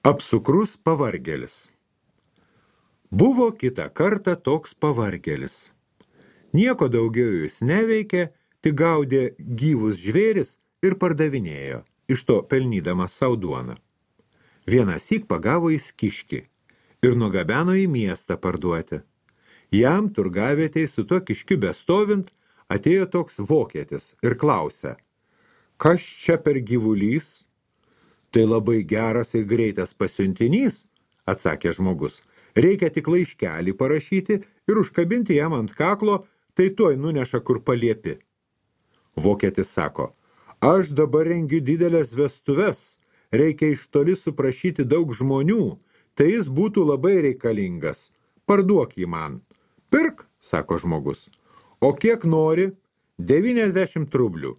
Apsukrus pavargėlis. Buvo kitą kartą toks pavargėlis. Nieko daugiau jis neveikė, tik gaudė gyvus žvėris ir pardavinėjo, iš to pelnydamas sau duoną. Vienąsyk pagavo jis kiškį ir nugabeno į miestą parduoti. Jam turgavietei su tuo kiškiu bestovint atėjo toks vokietis ir klausė: "Kas čia per gyvulys?" "Tai labai geras ir greitas pasiuntinys," atsakė žmogus. "Reikia tik laiškelį parašyti ir užkabinti jam ant kaklo, tai tuoj nuneša kur paliepi." Vokietis sako: "Aš dabar rengiu didelės vestuves, reikia iš toli suprašyti daug žmonių, tai jis būtų labai reikalingas. Parduok jį man." "Pirk," sako žmogus. "O kiek nori?" 90 rublių.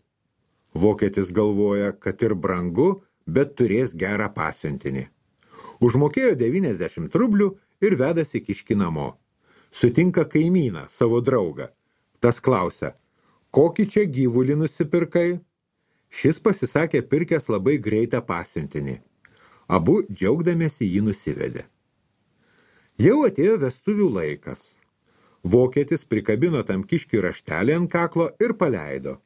Vokietis galvoja, kad ir brangu, bet turės gerą pasiuntinį. Užmokėjo 90 rublių ir vedasi kiškį namo. Sutinka kaimyną, savo draugą. Tas klausia: "Kokį čia gyvulį nusipirkai?" Šis pasisakė pirkęs labai greitą pasiuntinį. Abu džiaugdamiesi jį nusivedė. Jau atėjo vestuvių laikas. Vokietis prikabino tam kiškiui raštelį ant kaklo ir paleido.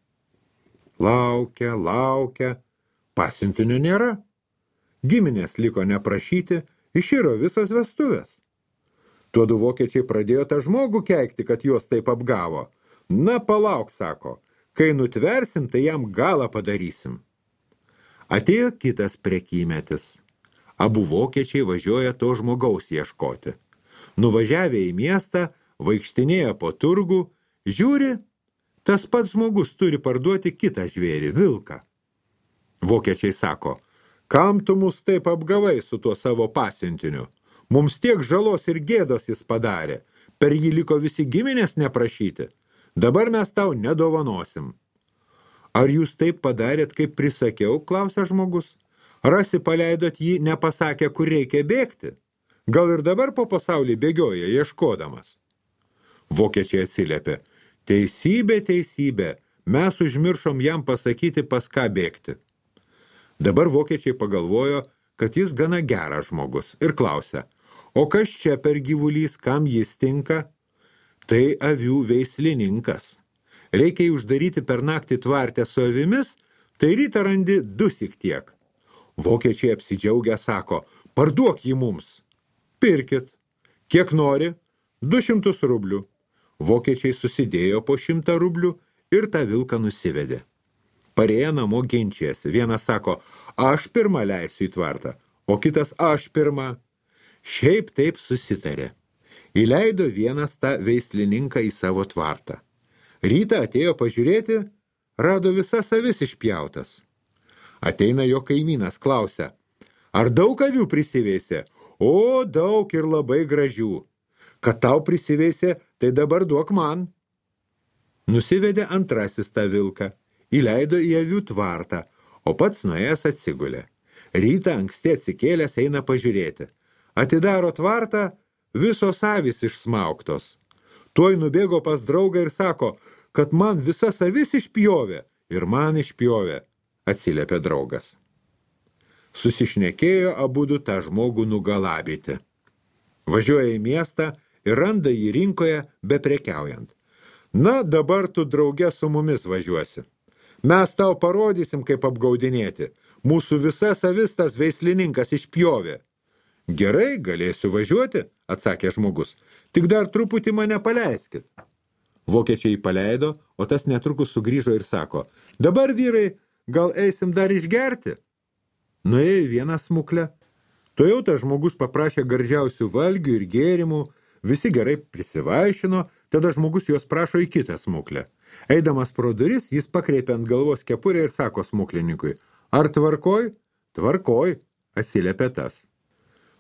Laukia, pasiuntinio nėra. Giminės liko neprašyti, iširo visos vestuvės. Tuodu vokiečiai pradėjo tą žmogų keikti, kad juos taip apgavo. "Na, palauk," sako, "kai nutversim, tai jam galą padarysim." Atėjo kitas prekymetis. Abu vokiečiai važiuoja to žmogaus ieškoti. Nuvažiavę į miestą, vaikštinėja po turgų, žiūri, tas pats žmogus turi parduoti kitą žvėrį, vilką. Vokiečiai sako: "Kam tu mus taip apgavai su tuo savo pasiuntiniu? Mums tiek žalos ir gėdos jis padarė, per jį liko visi giminės neprašyti. Dabar mes tau nedovanosim." "Ar jūs taip padarėt, kaip prisakiau?" klausia žmogus. "Rasi paleidot jį, nepasakę, kur reikia bėgti? Gal ir dabar po pasaulį bėgioja, ieškodamas?" Vokiečiai atsiliepė: Teisybė, mes užmiršom jam pasakyti, pas ką bėgti." Dabar vokiečiai pagalvojo, kad jis gana geras žmogus ir klausia: "O kas čia per gyvulys, kam jis tinka?" "Tai avių veislininkas. Reikia jį uždaryti per naktį tvarte su avimis, tai rytą randi 2 tiek." Vokiečiai apsidžiaugę sako: "Parduok jį mums." "Pirkit." "Kiek nori?" 200 rublių. Vokiečiai susidėjo po 100 rublių ir tą vilką nusivedė. Parėję namo ginčijasi. Vienas sako: "Aš pirmą leisiu į tvartą," o kitas: "Aš pirmą." Šiaip taip susitarė. Įleido vienas tą veislininką į savo tvartą. Rytą atėjo pažiūrėti, rado visas avis išpjautas. Ateina jo kaimynas, klausia: "Ar daug avių prisiveisė?" "O, daug ir labai gražių." "Kad tau prisiveisė, tai dabar duok man." Nusivedė antrasis tą vilką, įleido į avių tvartą, o pats nuėjęs atsigulė. Rytą anksti atsikėlęs eina pažiūrėti. Atidaro tvartą, visos avys išsmauktos. Tuoj nubėgo pas draugą ir sako, kad man visas avis išpjovė ir man išpjovė, atsiliepė draugas. Susišnekėjo abudu tą žmogų nugalabyti. Važiuoja į miestą ir randa jį rinkoje beprekiaujant. "Na, dabar tu drauge su mumis važiuosi. Mes tau parodysim, kaip apgaudinėti. Mūsų visas avis tas veislininkas išpjovė." "Gerai, galėsiu važiuoti," atsakė žmogus. "Tik dar truputį mane paleiskit." Vokiečiai jį paleido, o tas netrukus sugrįžo ir sako: "Dabar, vyrai, gal eisim dar išgerti?" Nuėjo į vieną smuklę. Tuojau tas žmogus paprašė gardžiausių valgių ir gėrimų, visi gerai prisivaišino, tada žmogus juos prašo į kitą smuklę. Eidamas pro duris, jis pakreipė ant galvos kepurę ir sako smuklininkui: "Ar tvarkoj?" "Tvarkoj," atsiliepė tas.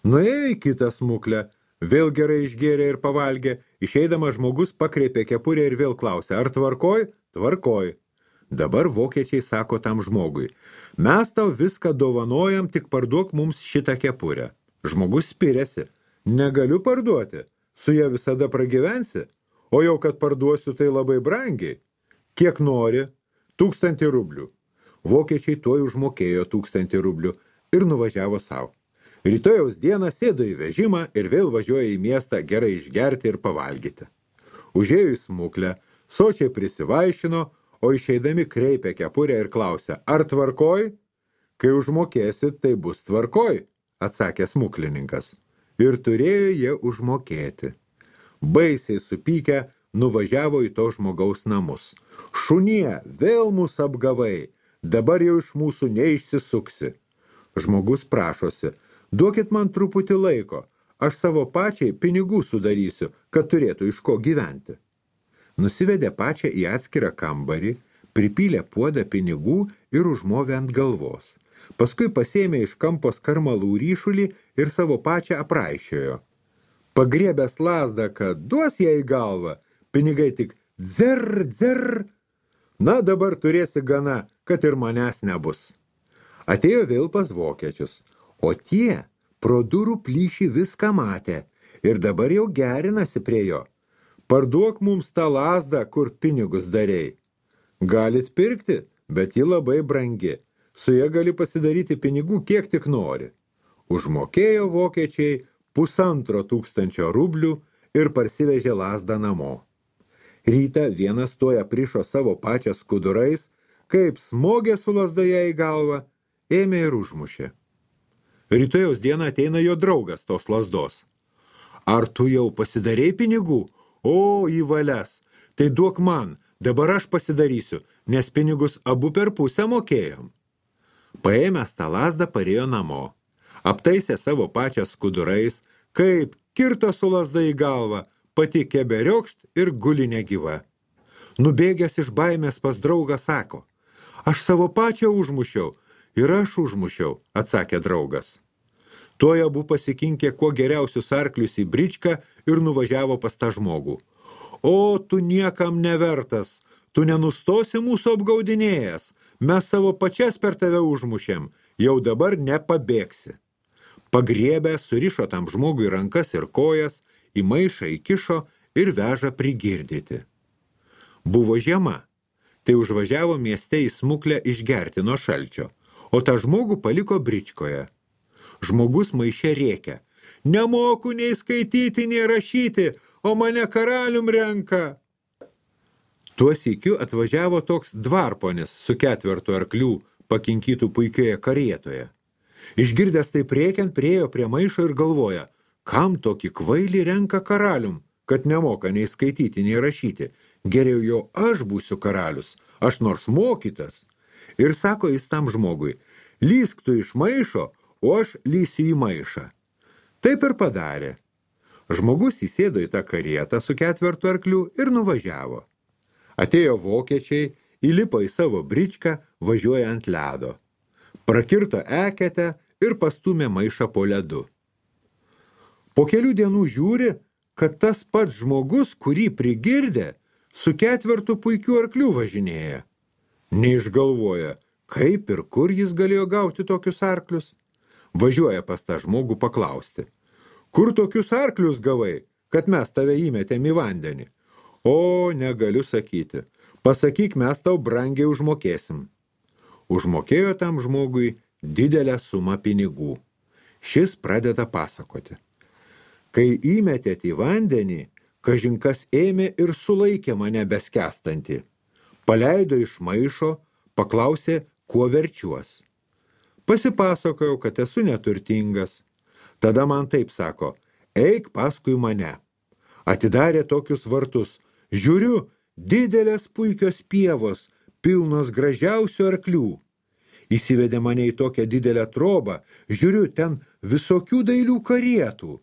Nuėjo į kitą smuklę, vėl gerai išgėrė ir pavalgė, išeidamas žmogus pakreipė kepurę ir vėl klausė: "Ar tvarkoj?" "Tvarkoj." Dabar vokiečiai sako tam žmogui: "Mes tau viską dovanojam, tik parduok mums šitą kepurę." Žmogus spiriasi: "Negaliu parduoti, su ja visada pragyvensi, o jau kad parduosiu, tai labai brangiai." "Kiek nori?" 1000 rublių. Vokiečiai tuoj užmokėjo 1000 rublių ir nuvažiavo savo. Rytojaus dieną sėdo į vežimą ir vėl važiuoja į miestą gerai išgerti ir pavalgyti. Užėjo į smuklę, sočiai prisivaišino, o išeidami kreipia kepurę ir klausia, ar tvarkoj? Kai užmokėsit, tai bus tvarkoj, atsakė smuklininkas. Ir turėjo jie užmokėti. Baisiai supykę nuvažiavo į to žmogaus namus. Šunie, vėl mus apgavai, dabar jau iš mūsų neišsisuksi. Žmogus prašosi, duokit man truputį laiko, aš savo pačiai pinigų sudarysiu, kad turėtų iš ko gyventi. Nusivedė pačią į atskirą kambarį, pripylė puodą pinigų ir užmovė ant galvos. Paskui pasėmė iš kampo skarmalų ryšulį ir savo pačią apraišiojo. Pagriebęs lazdą, kad duos ją į galvą, pinigai tik dzer, dzer. Na, dabar turėsi gana, kad ir manęs nebus. Atėjo vėl pas vokiečius, o tie pro durų plyšį viską matė ir dabar jau gerinasi prie jo. Parduok mums tą lazdą, kur pinigus darei. Galit pirkti, bet ji labai brangi. Su ja gali pasidaryti pinigų kiek tik nori. Užmokėjo vokiečiai 1500 rublių ir parsivežė lazdą namo. Rytą vienas toja prišo savo pačią skudurais, kaip smogė su lazda ją į galvą, ėmė ir užmušė. Rytojaus dieną ateina jo draugas tos lazdos. Ar tu jau pasidarei pinigų? O, į valias, tai duok man, dabar aš pasidarysiu, nes pinigus abu per pusę mokėjom. Paėmęs tą lazdą parėjo namo. Aptaisė savo pačią skudurais, kaip kirto su lazda į galvą, pati keberiokšt ir guli negyva. Nubėgęs iš baimės pas draugą sako, aš savo pačią užmušiau ir aš užmušiau, atsakė draugas. Tuoj abu pasikinkė kuo geriausius arklius į bričką ir nuvažiavo pas tą žmogų. O, tu niekam nevertas, tu nenustosi mūsų apgaudinėjęs, mes savo pačias per tave užmušėm, jau dabar nepabėgsi. Pagriebę surišo tam žmogui rankas ir kojas, į maišą įkišo ir veža prigirdyti. Buvo žiema, tai užvažiavo mieste į smuklę išgerti nuo šalčio, o tą žmogų paliko bričkoje. Žmogus maiše rėkia, nemoku nei skaityti, nei rašyti, o mane karalium renka. Tuo sykiu atvažiavo toks dvarponis su 4 arklių pakinkytų puikioje karietoje. Išgirdęs taip rėkiant, priėjo prie maišo ir galvoja, kam tokį kvailį renka karalium, kad nemoka nei skaityti, nei rašyti. Geriau jau aš būsiu karalius, aš nors mokytas. Ir sako jis tam žmogui, lysk tu iš maišo, o aš lysiu į maišą. Taip ir padarė. Žmogus įsėdo į tą karietą su 4 arklių ir nuvažiavo. Atėjo vokiečiai, įlipo į savo bričką, važiuoja ant ledo. Prakirto eketę ir pastumė maišą po ledu. Po kelių dienų žiūri, kad tas pats žmogus, kurį prigirdė, su 4 puikių arklių važinėja. Neišgalvoja, kaip ir kur jis galėjo gauti tokius arklius. Važiuoja pas tą žmogų paklausti. Kur tokius arklius gavai, kad mes tave įmetėm į vandenį? O, negaliu sakyti. Pasakyk, mes tau brangiai užmokėsim. Užmokėjo tam žmogui didelę sumą pinigų. Šis pradeda pasakoti. Kai įmetėt į vandenį, kažinkas ėmė ir sulaikė mane beskestantį. Paleido iš maišo, paklausė, kuo verčiuos. Pasipasakojau, kad esu neturtingas. Tada man taip sako, eik paskui mane. Atidarė tokius vartus. Žiūriu, didelės puikios pievos, pilnos gražiausių arklių. Įsivedė mane į tokią didelę trobą. Žiūriu, ten visokių dailių karietų.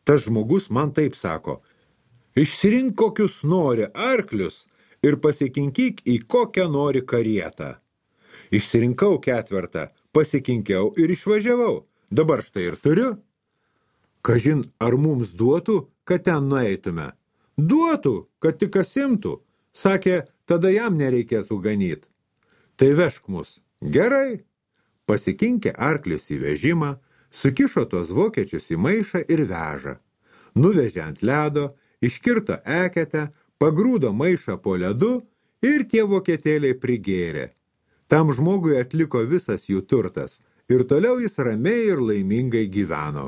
Tas žmogus man taip sako, išsirink kokius nori arklius ir pasikinkyk į kokią nori karietą. Išsirinkau 4, pasikinkiau ir išvažiavau. Dabar štai ir turiu. Kažin, ar mums duotų, kad ten nueitume? Duotų, kad tik kas imtų. Sakė, tada jam nereikėtų ganyt. Tai vežk mus. Gerai. Pasikinkė arklius į vežimą, sukišo tos vokiečius į maišą ir veža. Nuvežė ant ledo, iškirto eketę, pagrūdo maišą po ledu ir tie vokietėliai prigėrė. Tam žmogui atliko visas jų turtas ir toliau jis ramiai ir laimingai gyveno.